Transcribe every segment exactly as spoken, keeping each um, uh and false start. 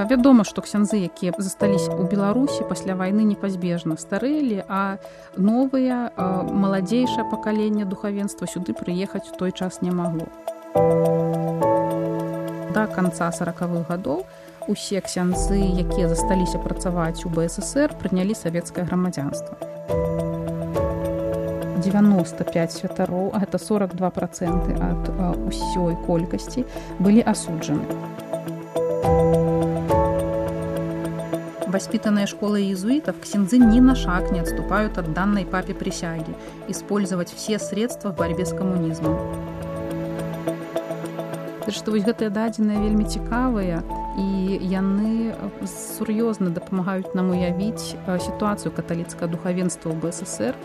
Вядома, што ксяндзы, якія засталіся ў Беларусі пасля вайны, непазбежна старэлі, а новыя, маладзейшае пакаленне духавенства сюды прыехаць у той час не магло. Да канца саракавых гадоў усе ксяндзы, якія засталіся працаваць у бэ эс эс ер, прынялі савецкае грамадзянства. дзевяноста пяць святароў, а гэта сорок два працэнты ад усёй колькасці, былі асуджаны. Воспитанные школой иезуитов, ксяндзы ни на шаг не отступают от данной папе присяги использовать все средства в борьбе с коммунизмом. Так што вось гэтыя дадзеныя вельмі цікавыя, і яны сур'ёзна дапамагаюць нам уявіць сітуацыю каталіцкага духавенства ў бэ эс эс ер.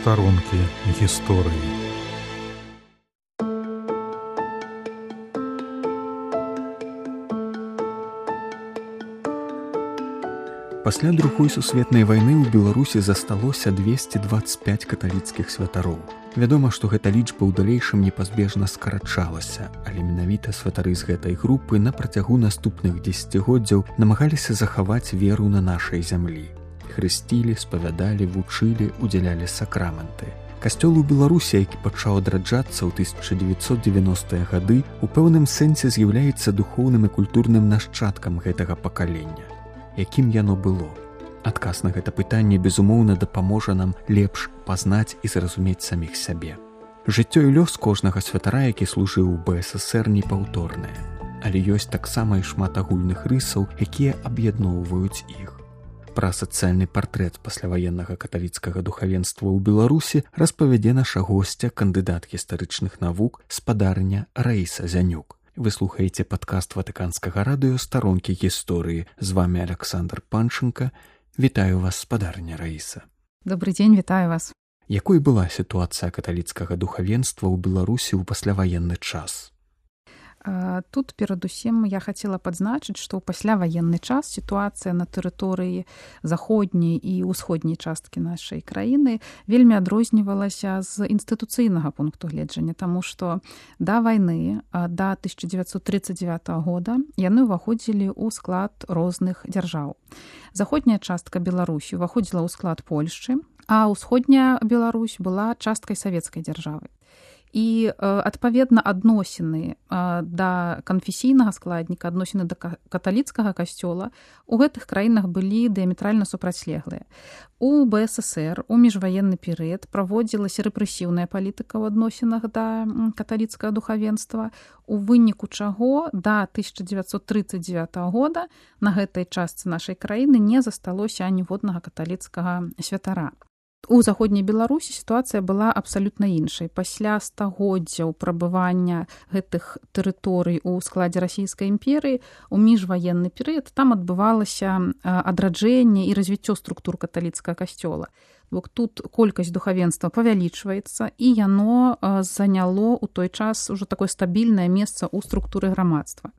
Сторонки гісторыі. Пасля другой сусветнай вайны ў Беларусі засталося двесце дваццаць пяць каталіцкіх святароў. Вядома, што гэта лічба ў далейшым непазбежна скарачалася, але менавіта святары з гэтай групы на працягу наступных дзесяцігоддзяў намагаліся захаваць веру на нашай зямлі. Хрысцілі, спавядалі, вучылі, удзялялі сакрамэнты. Касцёл у Беларусі, які пачаў адраджацца ў тысяча дзевяцьсот дзевяностыя гады, у пэўным сэнсе з'яўляецца духоўным і культурным нашчадкам гэтага пакалення. Якім яно было? Адказ на гэта пытанне, безумоўна, дапаможа нам лепш пазнаць і зразумець саміх сябе. Жыццё і лёс кожнага святара, які служыў у бэ эс эс ер, непаўторнае. Але ёсць таксама і шмат агульных рысаў, якія аб'ядноўваюць іх. Пра сацыяльны партрэт пасляваеннага каталіцкага духавенства ў Беларусі распавядзе наша госця, кандыдат гістарычных навук, спадарня Раіса Зянюк. Вы слухаеце падкаст Ватыканскага радыё «Старонкі гісторыі». З вами Александр Панченко. Вітаю вас, спадарня Раіса. Добрый дзень, вітаю вас. Якой была сітуацыя каталіцкага духавенства ў Беларусі ў пасляваенны час? Тут перадусім я хацела падзначыць, што ў пасляваенны час сітуацыя на тэрыторыі заходняй і ўсходняй часткі нашай краіны вельмі адрознівалася з інстытуцыйнага пункту гледжання, таму што да вайны, да тысяча дзевяцьсот тридцать девятого года, яны ўваходзілі ў склад розных дзяржаў. Заходняя частка Беларусі ўваходзіла ў склад Польшчы, а ўсходняя Беларусь была часткай савецкай дзяржавы. І, адпаведна, адносіны да канфесійнага складніка, адносіны да каталіцкага касцёла у гэтых краінах былі дыяметральна супрацьлеглыя. У бэ эс эс ер у міжваенны перыяд праводзілася рэпрэсіўная палітыка ў адносінах да каталіцкага духавенства, у выніку чаго да тысяча дзевяцьсот тридцать девятого года на гэтай частцы нашай краіны не засталося аніводнага каталіцкага святара. У заходняй Беларусі сітуацыя была абсалютна іншай. Пасля стагоддзяў прабывання гэтых тэрыторый у складзе расійскай імперыі у міжваенны перыяд там адбывалася адраджэнне і развіццё структур каталіцкага касцёла. Бо тут колькасць духавенства павялічваецца, і яно заняло ў той час ужо такое стабільнае месца ў структуры грамадства.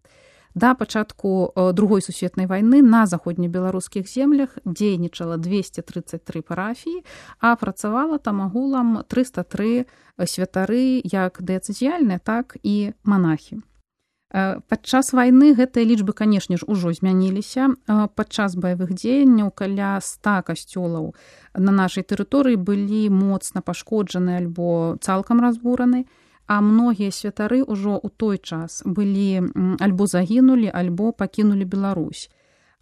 Да пачатку другой сусветнай вайны на заходнебеларускіх землях дзейнічала двести тридцать три парафіі, а працавала там агулам триста три святары як дыяцэзіяльныя, так і манахі. Падчас вайны гэтыя лічбы, канешне ж, ужо змяніліся. Падчас баявых дзеянняў каля ста касцёлаў на нашай тэрыторыі былі моцна пашкоджаны альбо цалкам разбураны, а многія святары ўжо ў той час былі альбо загінулі, альбо пакінулі Беларусь.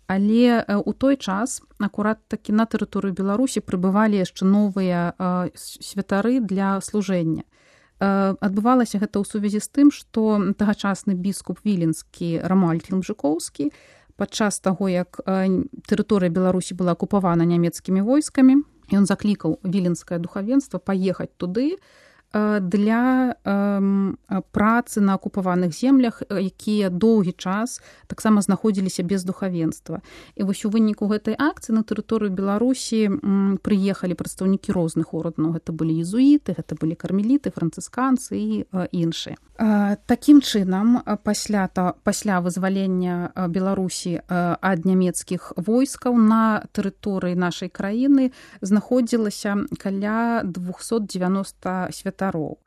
Але ў той час акурат такі на тэрыторыю Беларусі прыбывалі яшчэ новыя святары для служэння. Адбывалася гэта ў сувязі з тым, што тагачасны біскуп віленскі Рамуальд Хілмжыкоўскі падчас таго, як тэрыторыя Беларусі была акупавана нямецкімі войскамі, ён заклікаў віленскае духавенства паехаць туды, для працы на акупаваных землях, якія доўгі час таксама знаходзіліся без духавенства. І вось у выніку гэтай акцыі на тэрыторыю Беларусі прыехалі прадстаўнікі розных ордэнаў. Гэта былі езуіты, гэта былі кармеліты, францысканцы і іншыя. Такім чынам, пасля, пасля вызвалення Беларусі ад нямецкіх войскаў на тэрыторыі нашай краіны знаходзілася каля двухсот девяноста святароў.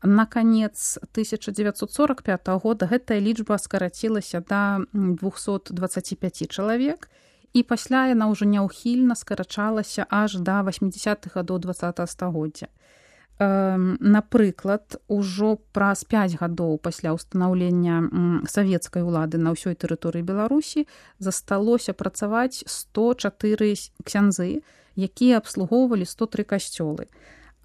На канец тысяча девятьсот сорок пятого года гэтая лічба скарацілася да двухсот дваццаці пяці чалавек, і пасля яна ўжо няўхільна скарачалася аж да восьмідзясятых гадоў дваццатага стагоддзя. Напрыклад, ужо праз пяць гадоў пасля ўстанаўлення савецкай улады на ўсёй тэрыторыі Беларусі засталося працаваць сто чатыры ксяндзы, якія абслугоўвалі сто тры касцёлы.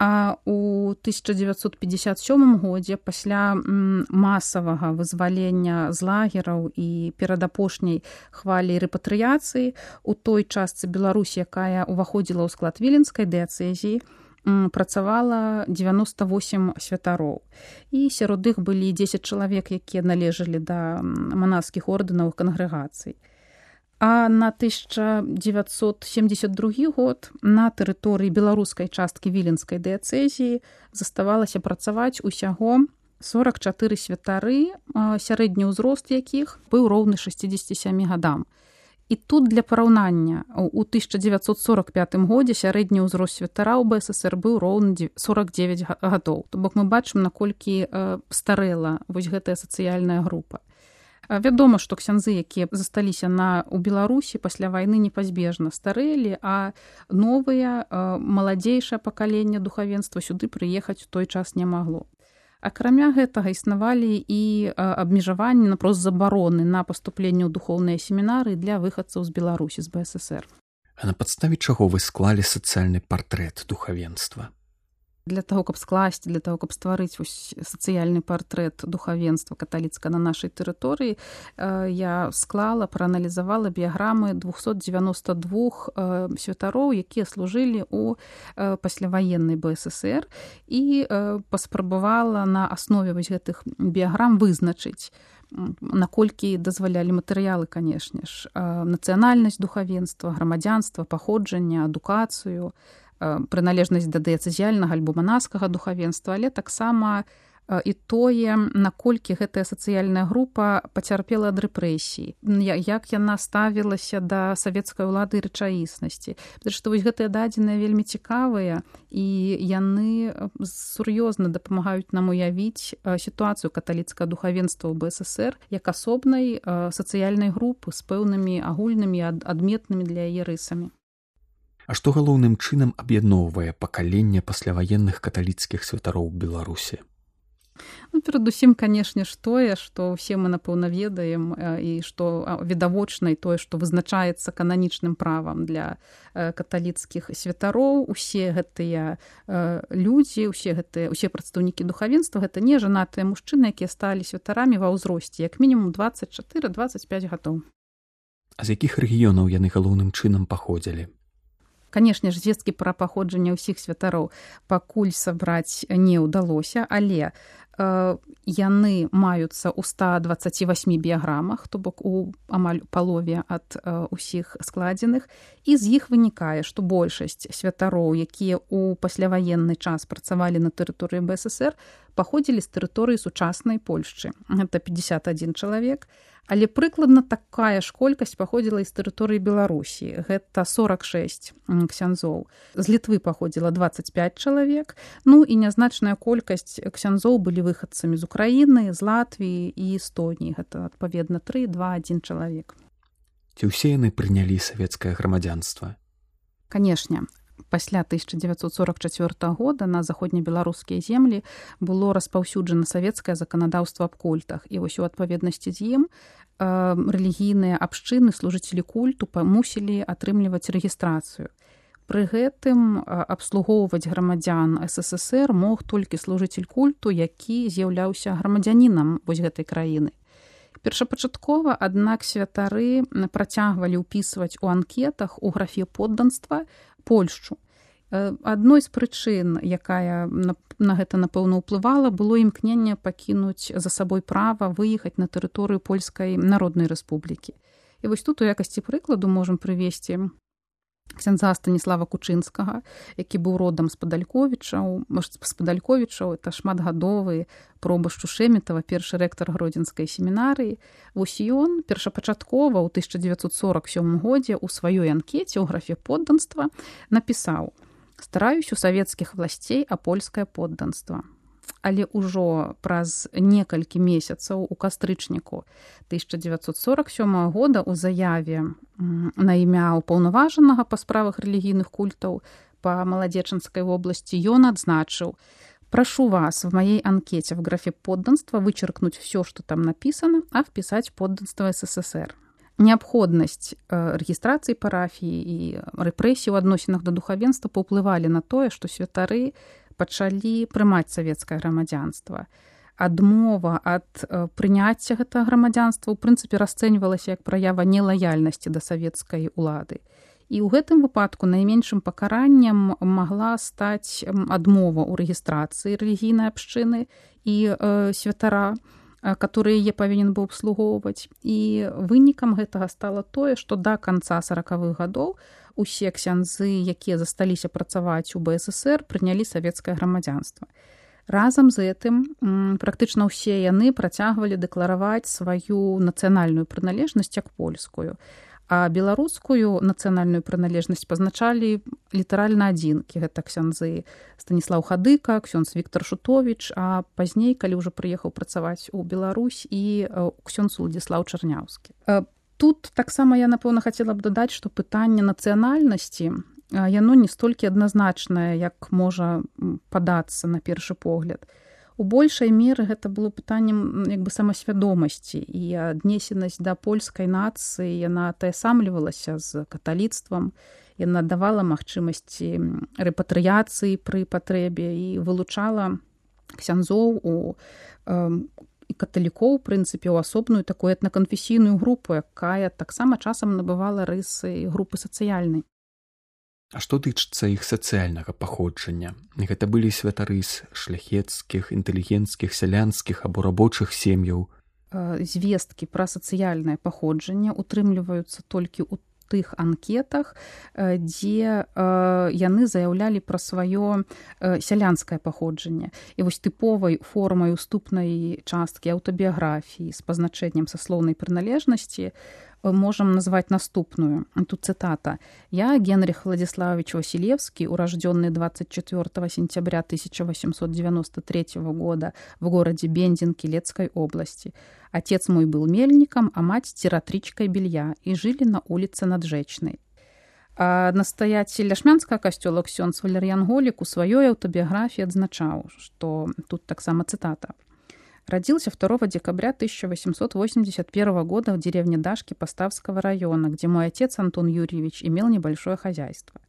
А ў тысяча девятьсот пятьдесят сёмым годзе пасля масавага вызвалення з лагераў і перадапошняй хвалі рэпатрыяцыі у той частцы Беларусі, якая ўваходзіла ў склад віленскай дыяцэзіі, працавала девяносто восемь святароў. І сярод іх былі дзесяць чалавек, якія належалі да манаскіх ордэнаў кангрэгацый. А на тысяча девятьсот семьдесят другі год на тэрыторыі беларускай часткі віленскай дыяцэзіі заставалася працаваць усяго сорок чатыры святары, сярэдні ўзрост якіх быў роўны шасцідзесяці сямі гадам. І тут для параўнання, у тысяча девятьсот сорок пятым годзе сярэдні ўзрост святара ў БССР быў роўны сорок девять гадоў. То бок мы бачым, наколькі старэла вось гэтая сацыяльная група. Вядома, што ксяндзы, якія засталіся на, у Беларусі пасля вайны, непазбежна старэлі, а новыя, маладзейшае пакаленне духавенства сюды прыехаць у той час не магло. Акрамя гэтага існавалі і абмежаванні, напрост забароны на паступленне ў духоўныя семінары для выхадцаў з Беларусі, з БССР. А на падставе чаго вы склалі сацыяльны партрэт духавенства? Для таго, каб скласці, для таго, каб стварыць сацыяльны партрэт духавенства каталіцка на нашай тэрыторыі, я склала, прааналізавала біяграмы двухсот девяноста двух святароў, якія служылі ў пасляваеннай БССР, і паспрабавала на аснове вось гэтых біяграм вызначыць, наколькі дазвалялі матэрыялы, канешне ж, нацыянальнасць духавенства, грамадзянства, паходжанне, адукацыю, прыналежнасць да дыяцэзіяльнага альбо манаскага духавенства, але таксама і тое, наколькі гэтая сацыяльная група пацярпела ад рэпрэсій, як яна ставілася да савецкай улады і рэчаіснасці. Потому што вось гэтыя дадзеныя вельмі цікавыя, і яны сур'ёзна дапамагаюць нам уявіць сітуацыю каталіцкага духавенства ў БССР як асобнай сацыяльнай групы з пэўнымі агульнымі адметнымі для яе рысамі. А што галоўным чынам аб'ядноўвае пакаленне пасляваенных каталіцкіх святароў Беларусі? Ну, перадусім, канешне ж, тое, што ўсе мы, напэўна, ведаем, і што відавочна, і тое, што вызначаецца кананічным правам для каталіцкіх святароў. Усе гэтыя людзі, усе гэтыя, усе прадстаўнікі духавенства, гэта не жанатыя мужчыны, якія сталі святарамі ва ўзросце, як мінімум дваццаць чатыры - дваццаць пяць гадоў. А з якіх рэгіёнаў яны галоўным чынам паходзілі? Канешне ж, звесткі пра паходжанне ўсіх святароў пакуль сабраць не ўдалося, але э, яны маюцца ў ста дваццаці васьмі біяграмах, то бок у амаль палове ад э, усіх складзеных, і з іх вынікае, што большасць святароў, якія ў пасляваенны час працавалі на тэрыторыі БССР, паходзілі з тэрыторыі сучаснай Польшчы. Гэта пятьдесят один чалавек, але прыкладна такая ж колькасць паходзіла з тэрыторыі Беларусі. Гэта сорок шесть ксяндзоў. З Літвы паходзіла дваццаць пять чалавек. Ну і нязначная колькасць ксяндзоў былі выхадцамі з Украіны, з Латвіі і Эстоніі. Гэта, адпаведна, три, два, один чалавек. Ці ўсе яны прынялі савецкае грамадзянства? Канешне. Пасля тысяча девятьсот сорок чацвёртага года на заходнебеларускія землі было распаўсюджана савецкае заканадаўства аб культах. І вось у адпаведнасці з ім рэлігійныя абшчыны, служыцелі культу мусілі атрымліваць рэгістрацыю. Пры гэтым абслугоўваць грамадзян СССР мог толькі служыцель культу, які з'яўляўся грамадзянінам вось гэтай краіны. Першапачаткова, аднак, святары працягвалі ўпісваць у анкетах у графе подданства Польшчу. Адной з прычын, якая на, на гэта, напэўна, ўплывала, было імкненне пакінуць за сабой права выехаць на тэрыторыю Польскай Народнай Рэспублікі. І вось тут у якасці прыкладу можам прывесці ксяндза Станіслава Кучынскага, які быў родам з Падалькowicзаў, з Падалькowicзаў, это шматгадовы пробашчу Шэметава, першы рэктар Гродзенскай семінарыі. Вось ён першапачаткова ў тысяча дзевяцьсот сорок сёмым годзе ў сваёй анкеце ў графе подданства напісаў: «Стараюсь у савецкіх власцей а польскае подданства». Але ўжо праз некалькі месяцаў у кастрычніку тысяча дзевяцьсот сорок сёмага года ў заяве на імя ўпаўнаважанага па справах рэлігійных культаў па Маладзечанскай вобласці ён адзначыў: «Прошу вас в моей анкете в графе подданства вычеркнуть все, что там написано, а вписать подданство СССР». Неабходнасць рэгістрацыі парафіі і рэпрэсій у адносінах да духавенства паўплывалі на тое, што святары пачалі прымаць савецкае грамадзянства. Адмова ад прыняцця гэтага грамадзянства ў прынцыпе расцэньвалася як праява нелаяльнасці да савецкай улады. І ў гэтым выпадку найменшым пакараннем магла стаць адмова ў рэгістрацыі рэлігійнай абшчыны і э, святара, который яе павінен быў абслугоўваць. І вынікам гэтага стала тое, што да канца саракавых гадоў усе ксяндзы, якія засталіся працаваць у БССР, прынялі савецкае грамадзянства. Разам з гэтым практычна ўсе яны працягвалі дэклараваць сваю нацыянальную прыналежнасць як польскую, а беларускую нацыянальную прыналежнасць пазначалі літаральна адзінкі. Гэта ксяндзы Станіслаў Хадыка, ксёндз Віктар Шутовіч, а пазней, калі ўжо прыехаў працаваць у Беларусь, і ксёндз Уладзіслаў Чарняўскі. Тут таксама я, напэўна, хацела б дадаць, што пытанне нацыянальнасці, яно не столькі адназначнае, як можа падацца на першы погляд. У большай меры гэта было пытаннем як бы самасвядомасці, і аднесенасць да польскай нацыі, яна атаясамлівалася з каталіцтвам, яна давала магчымасці рэпатрыяцыі пры патрэбе і вылучала ксяндзоў у і каталікоў, у прынцыпе, у асобную такую этнаканфесійную групу, якая таксама часам набывала рысы групы сацыяльнай. А што тычыцца іх сацыяльнага паходжання? Гэта былі святары з шляхецкіх, інтэлігенцкіх, сялянскіх або рабочых сем'яў? Звесткі пра сацыяльнае паходжанне утрымліваюцца толькі ў тых анкетах, дзе яны заяўлялі пра сваё сялянскае паходжанне. І вось тыповай формай уступнай часткі аўтабіяграфіі з пазначэннем саслоўнай прыналежнасці можам назваць наступную. Тут цытата. «Я, Генрих Владиславович Василевский, урожденный двадцать четвёртого сентября тысяча восемьсот девяносто третьего года в городе Бендин Килецкой области. Отец мой был мельником, а мать тиратричкой белья, и жили на улице Наджечной». А настоятель ляшмянскага касцёла ксёндз Валер'ян Голік у сваёй аўтабіяграфіі адзначаў, што тут таксама цытата. «Родился второго декабря тысяча восемьсот восемьдесят первого года в деревне Дашки Поставского района, где мой отец Антон Юрьевич имел небольшое хозяйство».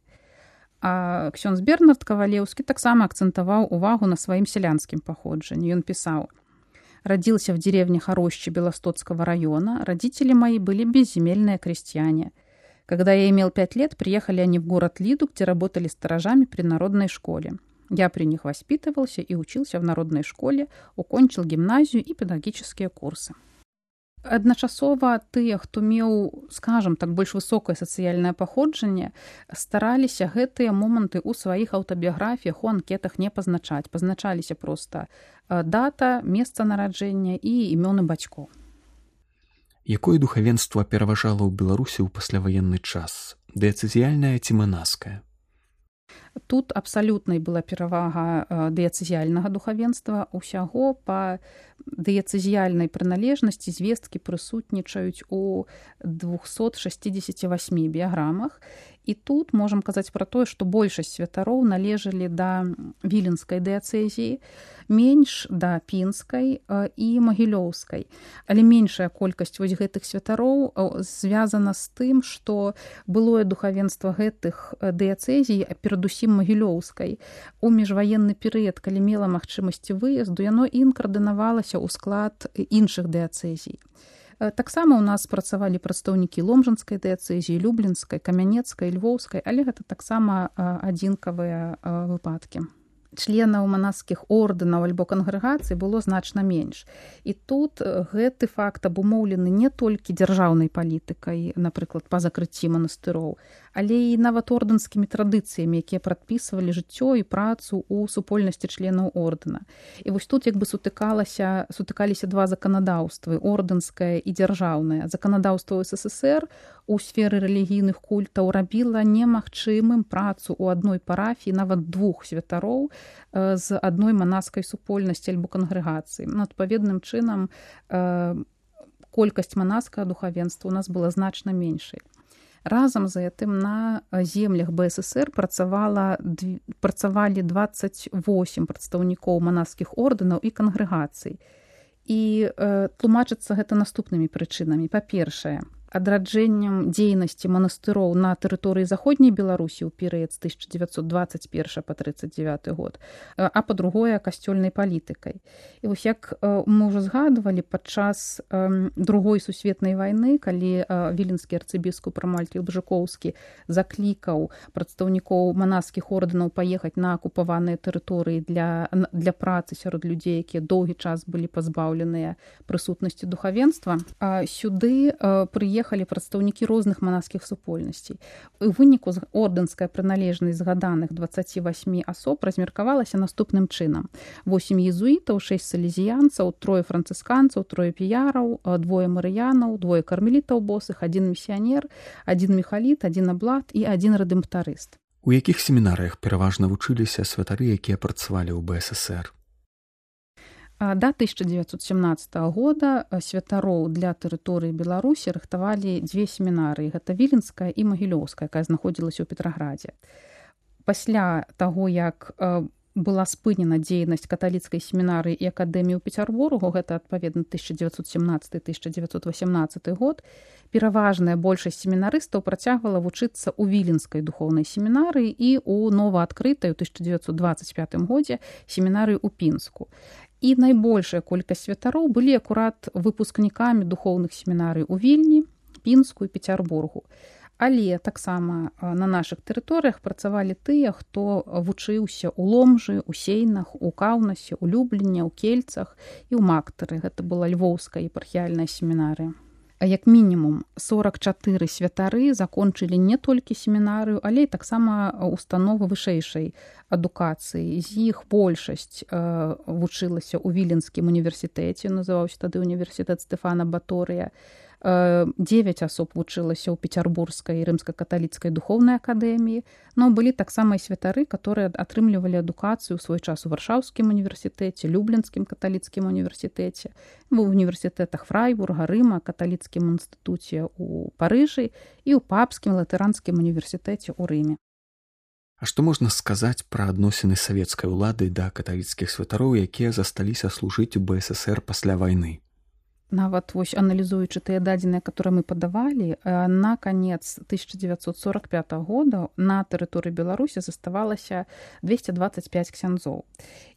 А ксёндз Бернард Кавалеўскі таксама акцентаваў увагу на сваім сялянскім паходжанні. Ён пісаў: «Родился в деревне Хорощи Белостоцкого района. Родители мои были безземельные крестьяне. Когда я имел пять лет, приехали они в город Лиду, где работали сторожами при народной школе. Я при них воспитывался и учился в народной школе, укончил гимназию и педагогические курсы». Адначасова тыя, хто меў, скажам так, больш высокае сацыяльнае паходжанне, стараліся гэтыя моманты ў сваіх аўтабіяграфіях, у анкетах не пазначаць. Пазначаліся проста дата, месца нараджэння і імёны бацькоў. Якое духавенства пераважала ў Беларусі ў пасляваенны час? Дыяцэзіяльнае ці манаскае? Тут абсалютнай была перавага дыяцэзіяльнага духавенства. Усяго па дыяцэзіяльнай прыналежнасці звесткі прысутнічаюць у двухсот шестидесяти восьми біяграмах. І тут можам казаць пра тое, што большасць святароў належалі да віленскай дыяцэзіі, менш да пінскай і магілёўскай. Але меншая колькасць вось гэтых святароў звязана з тым, што былое духавенства гэтых дыяцэзій, а перадусім магілёўскай, у міжваенны перыяд, калі мела магчымасці выезду, яно інкардынавалася ў склад іншых дыяцэзій. Таксама ў нас працавалі прадстаўнікі ломжанскай дыяцэзіі, люблінскай, камянецкай, львоўскай, але гэта таксама адзінкавыя выпадкі. Членаў манаскіх ордэнаў альбо кангрэгацый было значна менш. І тут гэты факт абумоўлены не толькі дзяржаўнай палітыкай, напрыклад, па закрыцці манастыроў, але і нават ордэнскімі традыцыямі, якія прадпісвалі жыццё і працу ў супольнасці членаў ордэна. І вось тут як бы сутыкалася, сутыкаліся два заканадаўствы, ордэнскае і дзяржаўнае. Заканадаўства СССР у сферы рэлігійных культаў рабіла немагчымым працу ў адной парафіі, нават двух святароў з адной манаскай супольнасці альбо кангрэгацыі. Ну, адпаведным чынам колькасць манаскага духавенства у нас была значна меншай. Разам з гэтым на землях БССР працавала, працавалі дваццаць восем прадстаўнікоў манаскіх ордэнаў і кангрэгацый. І э, тлумачыцца гэта наступнымі прычынамі. Па-першае, адраджэннем дзейнасці манастыроў на тэрыторыі заходняй Беларусі ў перыяд з тысяча дзевяцьсот дваццаць першы па трыццаць дзевяты год, а па-другое, касцёльнай палітыкай. І вось як мы ўжо згадвалі, падчас другой сусветнай вайны, калі віленскі арцыбіскуп Рамальд Елбжыкоўскі заклікаў прадстаўнікоў манаскіх ордэнаў паехаць на акупаваныя тэрыторыі для, для працы сярод людзей, якія доўгі час былі пазбаўленыя прысутнасці духавенства, сюды прыехалі Ехалі прадстаўнікі розных манаскіх супольнасцей. У выніку ордэнская прыналежнасць згаданых дваццаці васьмі асоб размеркавалася наступным чынам. восем езуітаў, шэсць салезіянцаў, трое францысканцаў, трое піяраў, двое марыянаў, двое кармелітаў босых, адзін місіянер, адзін міхаліт, адзін аблат і адзін рэдэмптарыст. У якіх семінарыях пераважна вучыліся святары, якія працавалі ў БССР? Да тысяча дзевяцьсот сямнаццатага года святароў для тэрыторыі Беларусі рыхтавалі дзве семінары. Гэта віленская і магілёўская, якая знаходзілася ў Петраградзе. Пасля таго, як была спынена дзейнасць каталіцкай семінарыі і акадэміі ў Пецярбургу, гэта адпаведна тысяча дзевяцьсот сямнаццаты - тысяча дзевяцьсот васямнаццаты год, пераважная большасць семінарыстаў працягвала вучыцца ў віленскай духоўнай семінарыі і ў новаадкрытай у тысяча дзевяцьсот дваццаць пятым годзе семінарыі ў Пінску. І найбольшая колькасць святароў былі акурат выпускнікамі духоўных семінарый у Вільні, Пінску і Пецярбургу. Але таксама на нашых тэрыторыях працавалі тыя, хто вучыўся ў Ломжы, у Сейнах, у Каўнасе, у Любліне, ў Кельцах і ў Мактары. Гэта была львоўская епархіяльная семінарыя. Як мінімум сорак чатыры святары закончылі не толькі семінарыю, але і таксама установы вышэйшай адукацыі. З іх большасць э, вучылася ў Віленскім універсітэце, называўся тады універсітэт Стэфана Баторыя. Дзевяць асоб вучылася ў Пецярбургскай рымска-каталіцкай духоўнай акадэміі, но былі таксама і святары, которые атрымлівалі адукацыю ў свой час у Варшаўскім універсітэце, Люблінскім каталіцкім універсітэце, в універсітэтах Фрайбурга, Рыма, каталіцкім інстытуце ў Парыжы і ў папскім латаранскім універсітэце ў Рыме. А што можна сказаць пра адносіны савецкай улады да каталіцкіх святароў, якія засталіся служыць у БССР пасля вайны? Нават вось аналізуючы тыя дадзеныя, которые мы падавалі, на канец тысяча дзевяцьсот сорок пятага года на тэрыторыі Беларусі заставалася двесце дваццаць пяць ксяндзоў.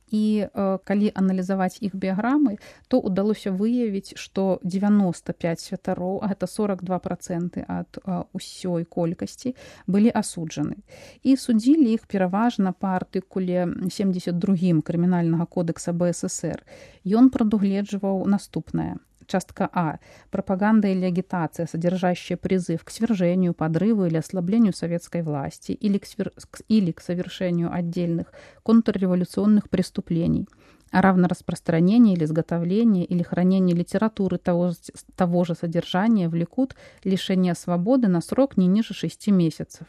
І э, калі аналізаваць іх біяграмы, то удалося выявіць, што дзевяноста пяць святароў, а гэта сорок два проценты ад э, усёй колькасці, былі асуджаны. І судзілі іх пераважна па артыкуле семьдесят другім крымінальнага кодекса БССР. Ён прадугледжваў наступнае. Частка А. Пропаганда или агитация, содержащая призыв к свержению, подрыву или ослаблению советской власти или к, свер... или к совершению отдельных контрреволюционных преступлений, а равно распространение или изготовление или хранение литературы того, того же содержания влекут лишение свободы на срок не ниже шести месяцев.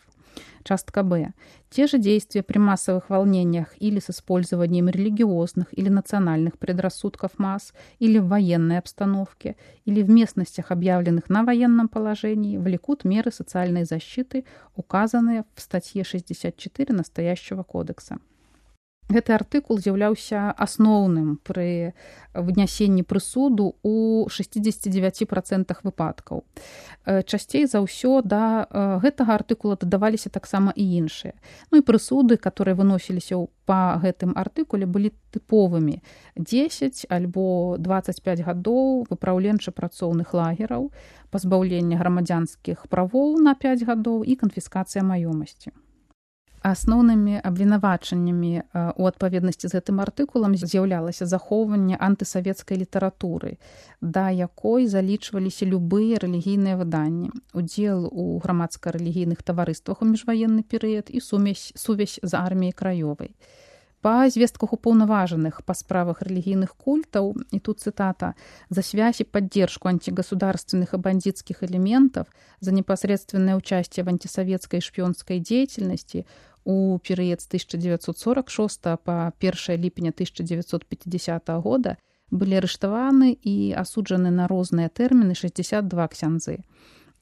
Частка Б. Те же действия при массовых волнениях или с использованием религиозных или национальных предрассудков масс, или в военной обстановке, или в местностях, объявленных на военном положении, влекут меры социальной защиты, указанные в статье шестьдесят четыре настоящего кодекса. Гэты артыкул з'яўляўся асноўным пры вынясенні прысуду ў шэсцьдзесят дзевяць працэнтах выпадкаў. Часцей за ўсё да гэтага артыкула дадаваліся таксама і іншыя. Ну і прысуды, которые выносіліся па гэтым артыкуле, былі тыповымі: дзесяць альбо дваццаць пяць гадоў выпраўленча-працоўных лагераў, пазбаўлення грамадзянскіх правоў на пяць гадоў і канфіскацыя маёмасці. Асноўнымі абвінавачаннямі ў адпаведнасці з гэтым артыкулам з'яўлялася захоўванне антысавецкай літаратуры, да якой залічваліся любыя рэлігійныя выданні, удзел у грамадска-рэлігійных таварыствах у міжваенны перыяд і сумесь, сувязь з арміяй краёвай. Па звестках уполноваженных по справах религийных культов, и тут цитата, «за связь и поддержку антигосударственных и бандитских элементов, за непосредственное участие в антисоветской и шпионской деятельности у период с тысяча девятьсот сорок шестого по первое липня тысяча девятьсот пятидесятого года были арыштованы и осуджены на разные термины шестьдесят два ксяндзы.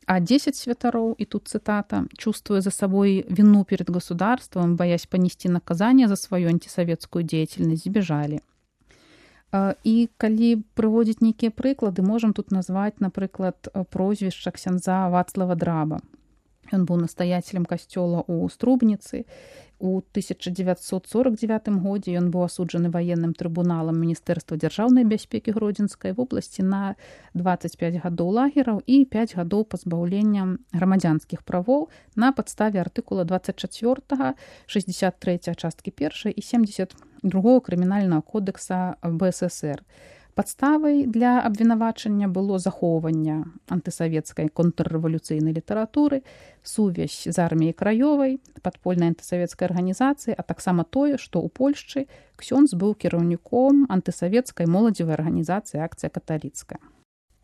А десять святаров, и тут цитата, чувствуя за собой вину перед государством, боясь понести наказание за свою антисоветскую деятельность, сбежали». І калі прыводзіць нейкія прыклады, можам тут назваць, напрыклад, прозвішча ксяндза Вацлава Драба. Ён быў настаяцелем касцёла ў Струбніцы. У тысяча девятьсот сорок девятым годзе ён быў асуджаны ваенным трыбуналам Міністэрства дзяржаўнай бяспекі Гродзенскай вобласці на дваццаць пяць гадоў лагераў і пяць гадоў пазбаўлення грамадзянскіх правоў на падставе артыкула двадцать четыре, шестьдесят три часткі першай і семьдесят другого крымінальнага кодекса БССР. Падставай для абвінавачання было захоўванне антысавецкай контррэвалюцыйнай літаратуры, сувязь з арміяй краёвай, падпольнай антысавецкай арганізацыі, а таксама тое, што ў Польшчы ксёндз быў кіраўніком антысавецкай моладзевай арганізацыі «Акцыя каталіцкая».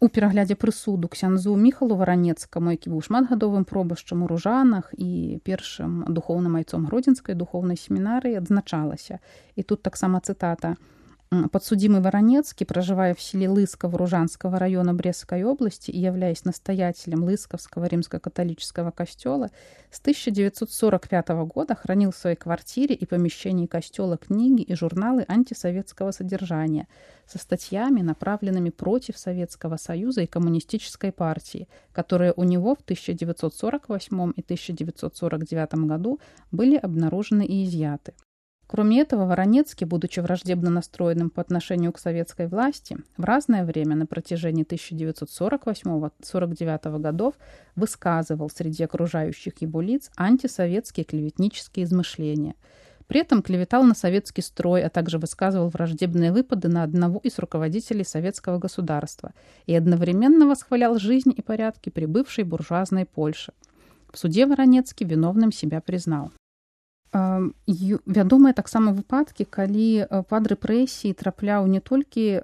У пераглядзе прысуду ксяндзу Міхалу Варанецкаму, які быў шматгадовым пробашчам у Ружанах і першым духоўным айцом Гродзенскай духоўнай семінарыі, адзначалася. І тут таксама цытата: «Подсудимый Воронецкий, проживая в селе Лысково Ружанского района Брестской области и являясь настоятелем Лысковского римско-католического костела, с тысяча девятьсот сорок пятого года хранил в своей квартире и помещении костела книги и журналы антисоветского содержания со статьями, направленными против Советского Союза и Коммунистической партии, которые у него в тысяча девятьсот сорок восьмом и тысяча девятьсот сорок девятом году были обнаружены и изъяты». Кроме этого, Воронецкий, будучи враждебно настроенным по отношению к советской власти, в разное время на протяжении тысяча девятьсот сорок восьмого — сорок девятого годов высказывал среди окружающих его лиц антисоветские клеветнические измышления. При этом клеветал на советский строй, а также высказывал враждебные выпады на одного из руководителей советского государства и одновременно восхвалял жизнь и порядки прибывшей буржуазной Польши. В суде Воронецкий виновным себя признал. Вядомыя таксама выпадкі, калі пад рэпрэсіі трапляў не толькі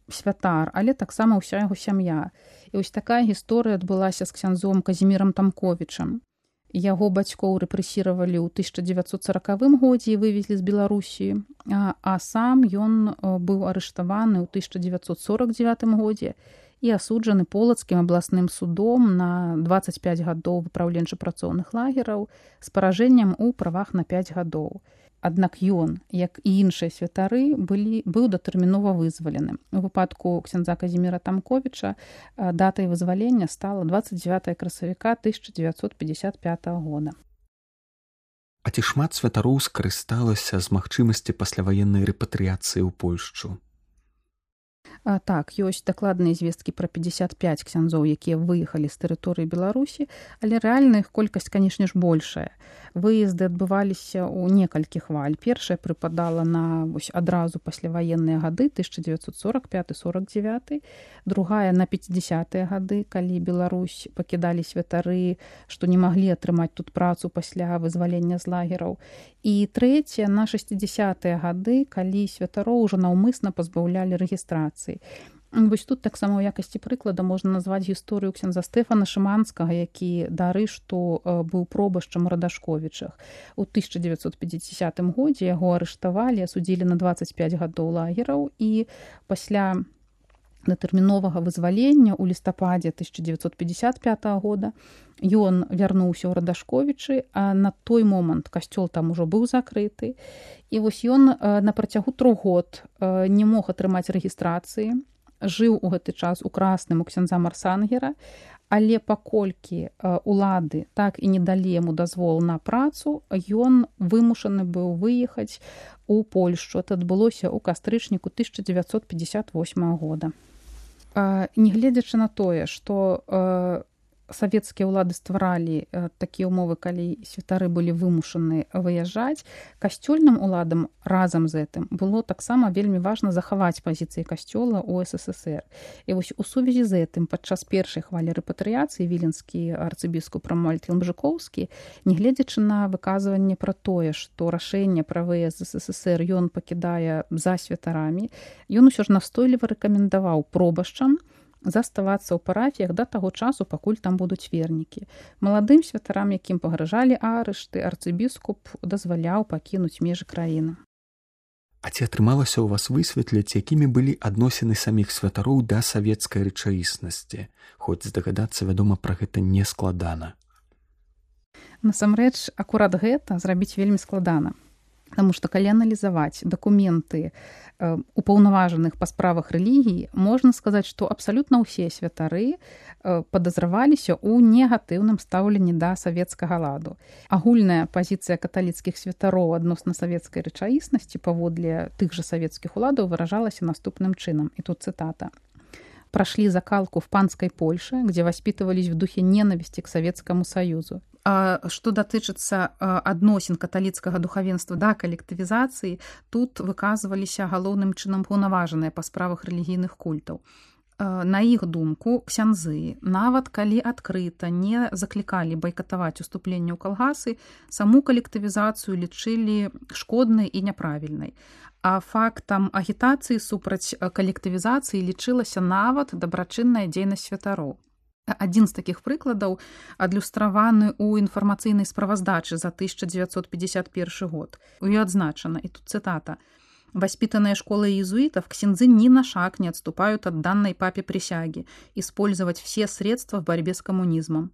святар, але таксама ўся яго сям'я. І вось такая гісторыя адбылася з ксяндзом Казімірам Тамковічам. Яго бацькоў рэпрэсіравалі ў тысяча девятьсот сорокавым годзе і вывезлі з Беларусі, а, а сам ён быў арыштаваны ў тысяча девятьсот сорок девятым годзе і асуджаны полацкім абласным судом на дваццаць пяць гадоў выпраўленча-працоўных лагераў з паражэннем у правах на пяць гадоў. Аднак ён, як і іншыя святары, былі, быў датэрмінова вызвалены. У выпадку ксяндза Казіміра Тамковіча датай вызвалення стала двадцать девятого красавіка тысяча девятьсот пятьдесят пятого года. А ці шмат святароў скарысталася з магчымасці пасляваеннай рэпатрыяцыі ў Польшчу? А, так, ёсць дакладныя звесткі пра пятьдесят пять ксяндзоў, якія выехалі з тэрыторыі Беларусі, але рэальна іх колькасць, канешне ж, большая. Выезды адбываліся ў некалькі хваль. Першая прыпадала на вось, адразу пасляваенныя гады тысяча девятьсот сорок пятый — сорок девятый, другая на пятидесятыя гады, калі Беларусь пакідалі святары, што не маглі атрымаць тут працу пасля вызвалення з лагераў. І трэцяя на шестидесятыя гады, калі святароў ужо наўмысна пазбаўлялі рэгістрацыі. Вось тут таксама ў якасці прыклада можна назваць гісторыю ксяндза Стэфана Шыманскага, які да арышту быў пробашчам у Радашковічах. У тысяча девятьсот пятидесятым годзе яго арыштавалі, асудзілі на двадцать пять гадоў лагераў і пасля датэрміновага вызвалення ў лістападзе тысяча дзевятьсот пятьдесят пятого года. Ён вярнуўся ў Радашковічы, а на той момант касцёл там ужо быў закрыты. І вось ён на працягу трох год не мог атрымаць рэгістрацыі, жыў у гэты час у Красным у ксяндза Марсангера, але паколькі улады так і не далі яму дазвол на працу, ён вымушаны быў выехаць у Польшчу. Это адбылося ў кастрычніку тысяча дзевятьсот пятьдесят восьмого года. Нягледзячы на тое, што савецкія ўлады стваралі такія ўмовы, калі святары былі вымушаны выязджаць, касцёльным уладам разам з гэтым было таксама вельмі важна захаваць пазіцыі касцёла ў СССР. І вось у сувязі з гэтым падчас першай хвалі рэпатрыяцыі віленскі арцыбіскуп Рамуальд Ялмжыкоўскі, нягледзячы на выказванне пра тое, што рашэнне пра выезд з СССР ён пакідае за святарамі, ён усё ж настойліва рэкамендаваў пробашчам заставацца ў парафіях да таго часу, пакуль там будуць вернікі. Маладым святарам, якім пагражалі арышты, арцыбіскуп дазваляў пакінуць межы краіны. А ці атрымалася ў вас высветліць, якімі былі адносіны саміх святароў да савецкай рэчаіснасці? Хоць здагадацца, вядома, пра гэта не складана. Насамрэч, акурат гэта зрабіць вельмі складана. Таму што калі аналізаваць дакументы упаўнаважаных па справах рэлігіі, можна сказаць, што абсалютна ўсе святары падазраваліся ў негатыўным стаўленні да савецкага ладу. Агульная пазіцыя каталіцкіх святароў адносна савецкай рэчаіснасці паводле тых жа савецкіх уладаў выражалася наступным чынам. І тут цытата. «Прошли закалку в панской Польше, где воспитывались в духе ненависти к Советскому Союзу». А што датычыцца адносін каталіцкага духавенства да калектывізацыі, тут выказваліся галоўным чынам паўнаважаныя па справах рэлігійных культаў. На іх думку, ксяндзы, нават калі адкрыта не заклікалі байкатаваць уступленне ў калгасы, саму калектывізацыю лічылі шкоднай і няправільнай. А фактам агітацыі супраць калектывізацыі лічылася нават дабрачынная дзейнасць святароў. Адзін з такіх прыкладаў адлюстраваны ў інфармацыйнай справаздачы за тысяча дзевятьсот пятьдесят первый год. У ёй адзначана, і тут цытата, «Воспитанные школой иезуитов, ксяндзы ни на шаг не отступают от данной папе присяги использовать все средства в борьбе с коммунизмом.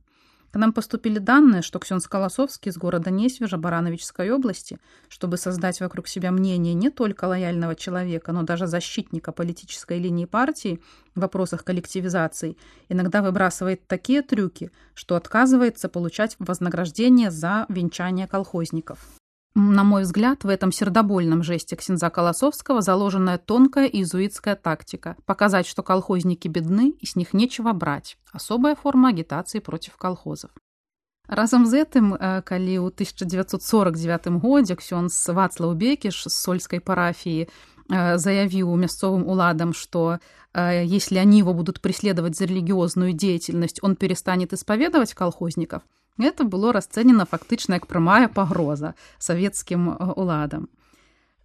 К нам поступили данные, что ксёндз Колосовский из города Несвежа Барановичской области, чтобы создать вокруг себя мнение не только лояльного человека, но даже защитника политической линии партии в вопросах коллективизации, иногда выбрасывает такие трюки, что отказывается получать вознаграждение за венчание колхозников». На мой взгляд, в этом сердобольном жесте ксяндза Колосовского заложенная тонкая иезуитская тактика – показать, что колхозники бедны и с них нечего брать. Особая форма агитации против колхозов. Разом з гэтым, калі ў тысяча дзевятьсот сорок девятым годзе ксёндз Вацлаў Бекіш з сольской парафии заявил мясцовым уладам, что если они его будут преследовать за религиозную деятельность, он перестанет исповедовать колхозников, это было расцэнена фактычна як прамая пагроза савецкім уладам.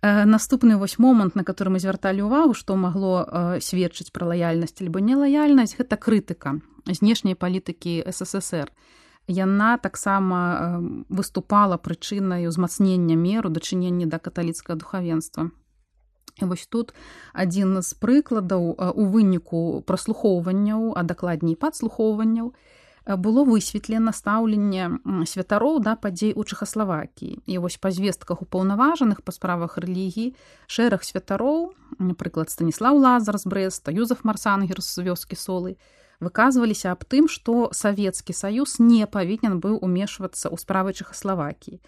Наступны вось момант, на который мы звярталі ўвагу, што магло сведчыць пра лаяльнасць альбо нелаяльнасць, гэта крытыка знешняй палітыкі СССР. Яна таксама выступала прычынай узмацнення мер у дачыненні да каталіцкага духавенства. І вось тут адзін з прыкладаў у выніку праслухоўванняў, а дакладней падслухоўванняў, было высветлена стаўленне святароў да падзей у Чэхаславакіі. І вось па звестках упаўнаважаных па справах рэлігіі шэраг святароў, напрыклад, Станіслаў Лазар з Брэста, Юзеф Марсангер з вёскі Солы, выказваліся аб тым, што Савецкі Саюз не павінен быў умешвацца ў справы Чэхаславакіі.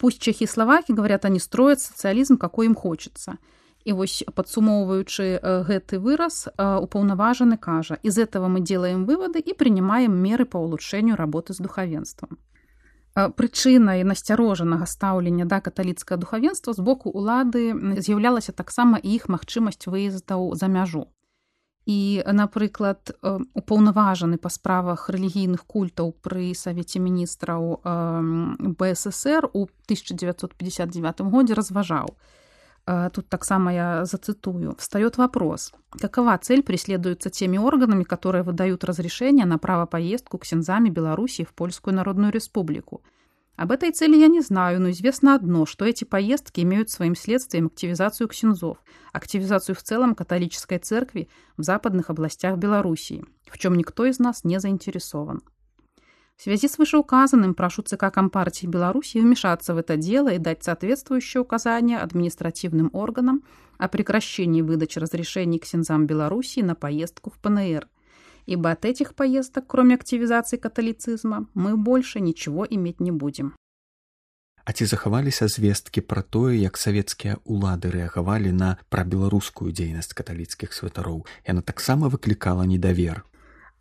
Пусть чехи и словаки, говорят, они строят социализм, какой им хочется. І вось, падсумоўваючы гэты выраз, упаўнаважаны кажа, из этого мы делаем выводы и принимаем меры по улучшению работы с духовенством. Прычынай насцярожанага стаўлення да каталіцкага духавенства з боку улады з'яўлялася таксама і іх магчымасць выездаў за мяжу. І, напрыклад, упаўнаважаны па справах рэлігійных культаў пры Савеце міністраў БССР у тысяча девятьсот пятьдесят девятом годзе разважаў. Тут таксама я зацитую. Встает вопрос, какова цель преследуется теми органами, которые выдают разрешение на право поездку ксяндзами Белоруссии в Польскую Народную Республику? Об этой цели я не знаю, но известно одно, что эти поездки имеют своим следствием активизацию ксензов, активизацию в целом католической церкви в западных областях Белоруссии, в чем никто из нас не заинтересован. В связи с вышеуказанным прошу ЦК Компартии Беларуси вмешаться в это дело и дать соответствующие указания административным органам о прекращении выдачи разрешений ксензам Белоруссии на поездку в ПНР, ибо от этих поездок, кроме активизации католицизма, мы больше ничего иметь не будем. А ці захаваліся звесткі пра тое, як савецкія ўлады рэагавалі на прабеларускую дзейнасць каталіцкіх святароў? Яна таксама выклікала недавер.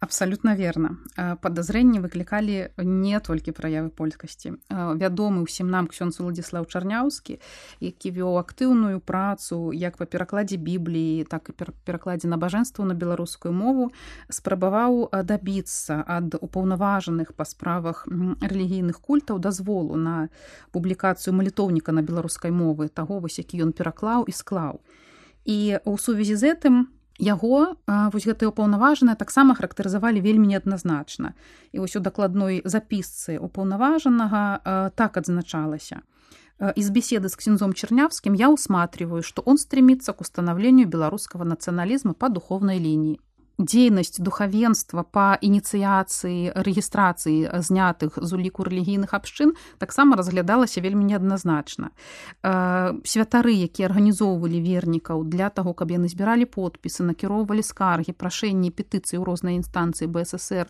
Абсолютно верно. Подозрения выкликали не только проявы польскасці. Вядомы ўсім нам ксёндз Уладзіслаў Чарняўскі, які вёў актыўную працу як па перакладзе Бібліі, так і перакладзе набажэнстваў на беларускую мову, спрабаваў дабіцца ад упаўнаважаных па справах рэлігійных культаў дазволу на публікацыю малітоўніка на беларускай мовы, таго вось, які ён пераклаў і склаў. І ў сувязі з гэтым яго вось гэтыя ўпаўнаважаныя таксама характарызавалі вельмі неадназначна. І вось у дакладной запісцы ўпаўнаважанага так адзначалася. Из беседы с ксензом Чернявским я усматриваю, что он стремится к установлению белорусского национализма по духовной линии. Дзейнасць духавенства па ініцыяцыі рэгістрацыі знятых з уліку рэлігійных абшчын таксама разглядалася вельмі неадназначна. Святары, якія арганізоўвалі вернікаў для таго, каб яны збіралі подпісы, накіроўвалі скаргі, прашэнні, петыцыі ў розныя інстанцыі БССР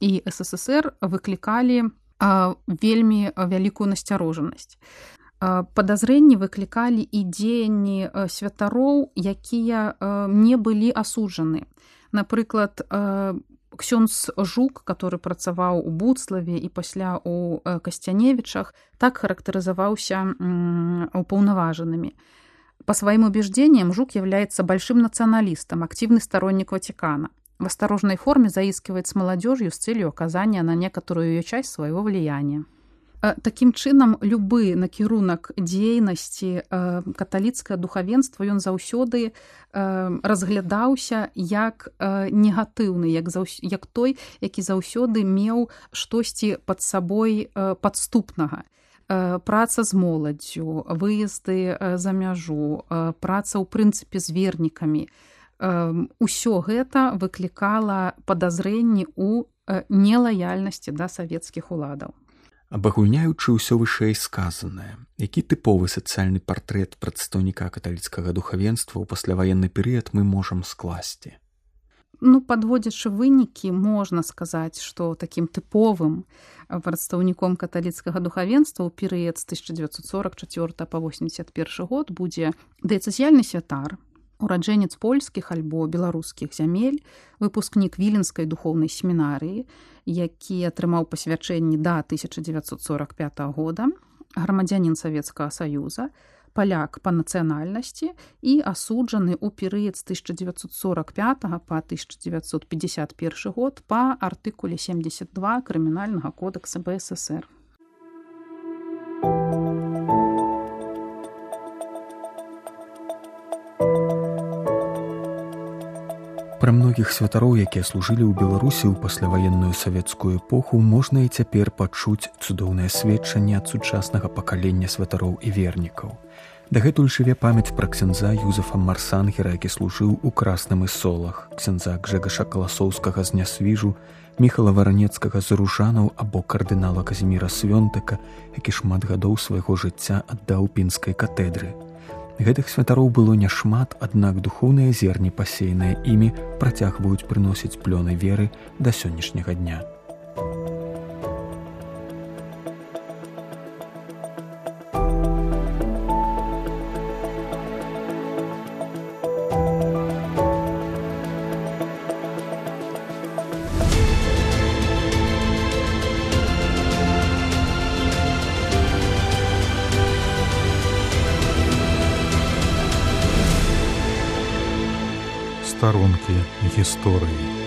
і СССР, выклікалі вельмі вялікую насцярожанасць. Падазрэнні выклікалі і дзеянні святароў, якія не былі асуджаны. Напрыклад, ксёндз Жук, который працаваў у Буцлаве і пасля у Касцяневічах, так характарызаваўся упаўнаважанымі. По своим убеждениям, Жук является большим националистом, активный сторонник Ватикана. В осторожной форме заискивает с молодежью с целью оказания на некоторую ее часть своего влияния. Такім чынам, любы накірунак дзейнасці каталіцкае духавенства ён заўсёды разглядаўся як негатыўны, як, заўс... як той, які заўсёды меў штосьці пад сабой падступнага. Праца з моладдзю, выезды за мяжу, праца ў прынцыпе з вернікамі. Усё гэта выклікала падазрэнні ў нелаяльнасці да савецкіх уладаў. Абагульняючы ўсё вышэй сказанае, які тыповы сацыяльны партрэт прадстаўніка каталіцкага духавенства ў пасляваенны перыяд мы можам скласці? Ну, падводзячы вынікі, можна сказаць, што такім тыповым прадстаўніком каталіцкага духавенства ў перыяд з тысяча дзевяцьсот сорок чацвёртага па восемьдесят першы год будзе дыяцэзіяльны святар, ураджэнец польскіх альбо беларускіх зямель, выпускнік Віленскай духоўнай семінарыі, які атрымаў пасвячэнні да тысяча дзевяцьсот сорок пятага года, грамадзянін Савецкага Саюза, паляк па нацыянальнасці і асуджаны ў перыяд з тысяча дзевяцьсот сорок пятага па тысяча дзевяцьсот пятьдесят першы год па артыкуле семьдесят два Крымінальнага кодекса БССР. Пра многіх святароў, якія служылі ў Беларусі ў пасляваенную савецкую эпоху, можна і цяпер пачуць цудоўнае сведчанне ад сучаснага пакалення святароў і вернікаў. Дагэтуль жыве памяць пра ксяндза Юзефа Марсангера, які служыў у Красным Ісолах, ксяндза Гжэгаша Каласоўскага з Нясвіжу, Міхала Варанецкага з Ружанаў або кардынала Казіміра Свёнтака, які шмат гадоў свайго жыцця аддаў пінскай катедры. Гэтых святароў было няшмат, аднак духоўныя зерні, пасеяныя імі, працягваюць прыносіць плёны веры да сённяшняга дня. Старонкі гісторыі.